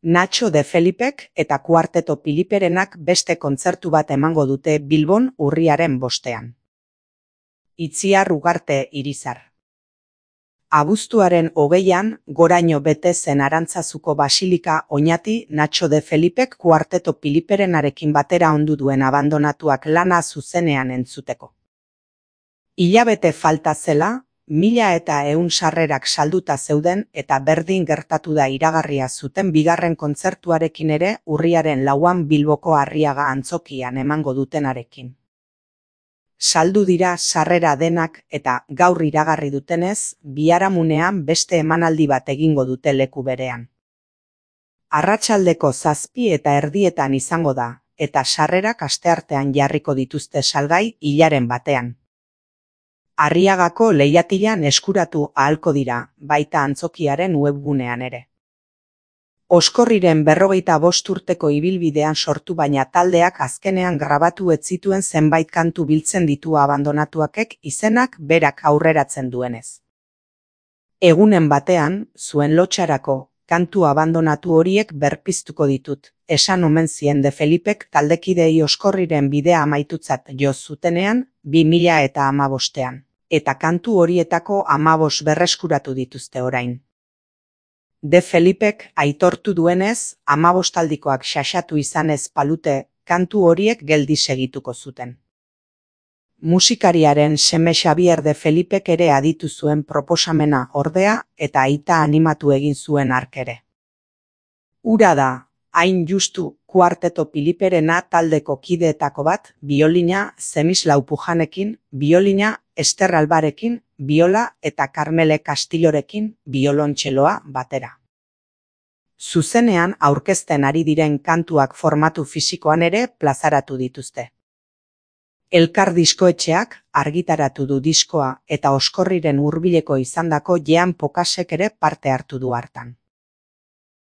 Nacho de Felipek eta Kuarteto Piliperenak beste kontzertu bat emango dute Bilbon urriaren 5. Itziar Ugarte Irizar. Abuztuaren 20an goraino bete zen Arantzazuko basilika Oñati Nacho de Felipek Kuarteto Piliperenarekin batera ondu duen abandonatuak lana zuzenean entzuteko. Hilabete falta zela, 1100 sarrerak salduta zeuden eta berdin gertatu da iragarria zuten bigarren kontzertuarekin ere urriaren 4an Bilboko Arriaga antzokian emango dutenarekin. Saldu dira sarrera denak eta gaur iragarri dutenez, biharamunean beste emanaldi bat egingo dute leku berean. Arratsaldeko 7:30 izango da, eta sarrerak asteartean jarriko dituzte salgai hilaren batean. Arriagako lehiatilan eskuratu ahalko dira, baita antzokiaren webgunean ere. Oskorriren 45 urteko ibilbidean sortu baina taldeak azkenean grabatu ez zituen zenbait kantu biltzen ditu abandonatuakek izenak berak aurreratzen duenez. Egunen batean, zuen lotxarako, kantu abandonatu horiek berpiztuko ditut, esan omen zien de Felipek taldekidei Oskorriren bidea amaitutzat jo zutenean 2015ean, eta kantu horietako 15 berreskuratu dituzte orain. De Felipek aitortu duenez, 15aldikoak xaxatu izanez palute, kantu horiek geldi segituko zuten. Musikariaren seme Xabier de Felipek ere aditu zuen proposamena ordea eta aita animatu egin zuen hark ere. Hura da, hain justu, Kuarteto Piliperena taldeko kideetako bat, biolina Zemislau Pujanekin, biolina Ester Albarekin, biola eta Karmele Kastillorekin, biolontxeloa batera. Zuzenean aurkezten ari diren kantuak formatu fisikoan ere plazaratu dituzte. Elkar diskoetxeak argitaratu du diskoa eta Oskorriren hurbileko izandako Jean Pokasek ere parte hartu du hartan.